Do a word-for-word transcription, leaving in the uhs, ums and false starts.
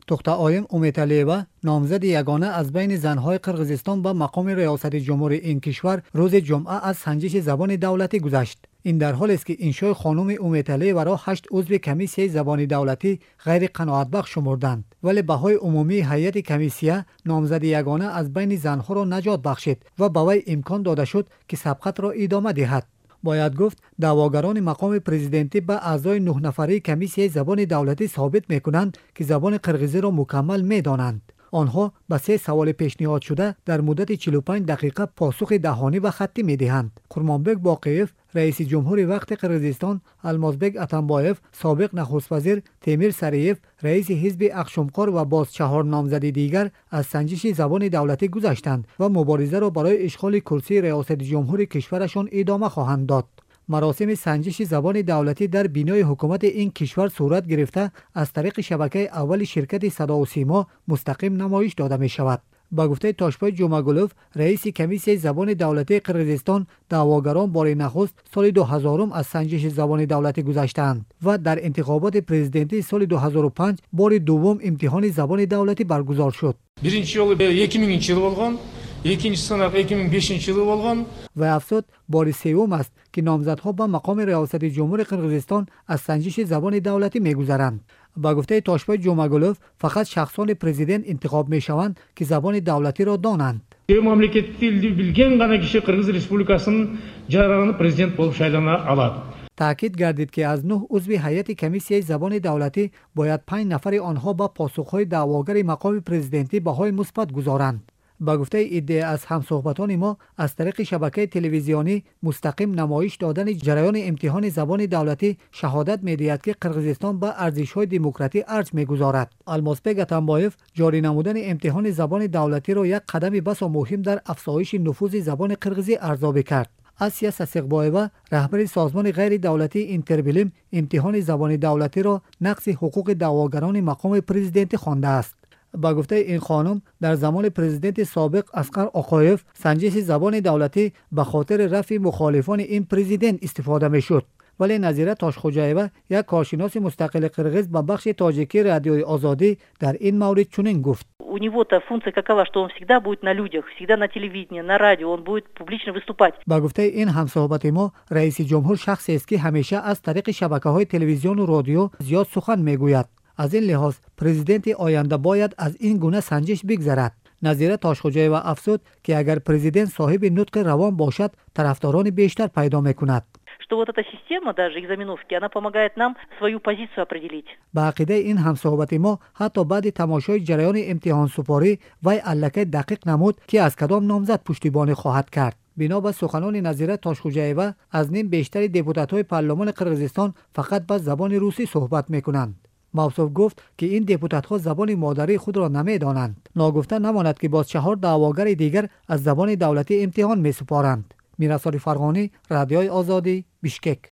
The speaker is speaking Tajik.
Тухтаоим Уметалиева, номзади ягона аз байни занҳои Қирғизистон ба мақоми риёсати ҷумҳури ин кишвар, рӯзи ҷумъа аз санҷиши забони давлатӣ гузашт. Ин дар ҳолест, ки иншои хонуми Уметалиеваро ҳашт узви комиссияи забони давлатӣ ғайриқаноатбахш шумурданд, вале баҳои умумии ҳайати комиссия номзади ягона аз байни занҳоро наҷот бахшид ва ба вай имкон дода шуд, ки сабқатро идома диҳад. Бояд гуфт, даъвогарони мақоми президентӣ ба аъзои нӯҳнафарии комиссияи забони давлатӣ собит мекунанд, ки забони қирғизиро мукаммал медонанд. Онҳо ба се саволи пешниҳодшуда дар муддати чилу панҷ дақиқа посухи даҳонӣ ва хаттӣ медиҳанд. Қурмонбек Боқиев, раиси ҷумҳури вақти Қирғизистон, Алмозбек Атамбоев, собиқ нахуствазир, Темир Сариев, раиси ҳизби Ақшумқор ва боз чаҳор номзади дигар аз санҷиши забони давлатӣ гузаштанд ва муборизаро барои ишғоли курсии риёсати ҷумҳури кишварашон идома хоҳанд дод. Маросими санҷиши забони давлатӣ дар бинои ҳукумати ин кишвар сурат гирифта, аз тариқи шабакаи аввали ширкати Садову Симо мустақим намоиш дода мешавад. Ба гуфтаи Тошбой Ҷумагулов, раиси комиссияи забони давлатии Қирғизистон, даъвогарон бори нахуст соли дуҳазорум аз санҷиши забони давлатӣ гузаштаанд ва дар интихоботи президентии соли дуҳазору панҷ бори дуввум имтиҳони забони давлатӣ баргузор шуд. Биринчи жолу эки миңинчи жылы болгон, экинчи сынак эки миң бешинчи жылы болгон. Ва афзуд, бори севум аст, ки номзадҳо ба мақоми риёсати ҷумҳури Қирғизистон аз санҷиши забони давлатӣ мегузаранд. Ба гуфтаи Тошбой Ҷумагулов, фақат шахсони президент интихоб мешаванд, ки забони давлатиро донанд. Мамлекеттик тилди билген гана киши Кыргыз Республикасынын жараны президент болуп шайлана алат. Таъкид гардид, ки аз нӯҳ узви ҳайати комиссияи забони давлатӣ бояд панҷ нафари онҳо ба посухҳои даъвогари мақоми президентӣ баҳои мусбат гузоранд. Ба гуфтаи иддея аз ҳамсӯҳбатони мо, аз тариқи шабакаи телевизионӣ мустақим намоиш додани ҷараёни имтиҳони забони давлатӣ шаҳодат медиҳад, ки Қирғизистон ба арзишҳои демократӣ арҷ мегузорад. Алмосбек Атамбоев ҷорӣ намудани имтиҳони забони давлатиро як қадами басо муҳим дар афзоиши нуфузи забони қирғизӣ арзёбӣ кард. Асия Сасиқбоева, раҳбари созмони ғайридавлатии Интербилим, имтиҳони забони давлатиро нақзи ҳуқуқи даъвогарони мақоми президентӣ хондааст. Ба гуфтаи ин хонум, дар замони президенти собиқ Асқар Оқоев санҷиши забони давлатӣ ба хотири рафъи мухолифони ин президент истифода мешуд. Вале Назира Тошхӯҷаева, як коршиноси мустақили қирғиз, ба бахши тоҷикии Радиои Озодӣ дар ин маврид чунин гуфт: У него-то функция какова, что он всегда будет на людях, всегда на телевидении, на радио, он будет публично выступать. Ба гуфтаи ин ҳамсӯҳбати мо, раиси ҷумҳур шахсест, ки ҳамеша аз тариқи шабакаҳои телевизиону радио зиёд сухан мегӯяд. Аз ин лиҳоз президенти оянда бояд аз ин гуна санҷиш бигзарад. Назира Тошхӯҷаева афзуд, ки агар президент соҳиби нутқи равон бошад, тарафдорони бештар пайдо мекунад. Что вот эта система даже экзаменовки, она помогает нам свою позицию определить. Ба ақидаи ин ҳамсӯҳбати мо, ҳатто баъди тамошои ҷараёни имтиҳонсупорӣ вай аллакай дақиқ намуд, ки аз кадом номзад пуштибонӣ хоҳад кард. Бино ба суханони Назира Тошхӯҷаева, аз ним бештари депутатҳои парлумони Қирғизистон фақат ба забони русӣ суҳбат мекунанд. Мавсуф гуфт, ки ин депутатҳо забони модарии худро намедонанд. Ногуфта намонад, ки боз чаҳор даъвогари дигар аз забони давлатӣ имтиҳон месупоранд. Мирасоли Фарғонӣ, Радиои Озодӣ, Бишкек.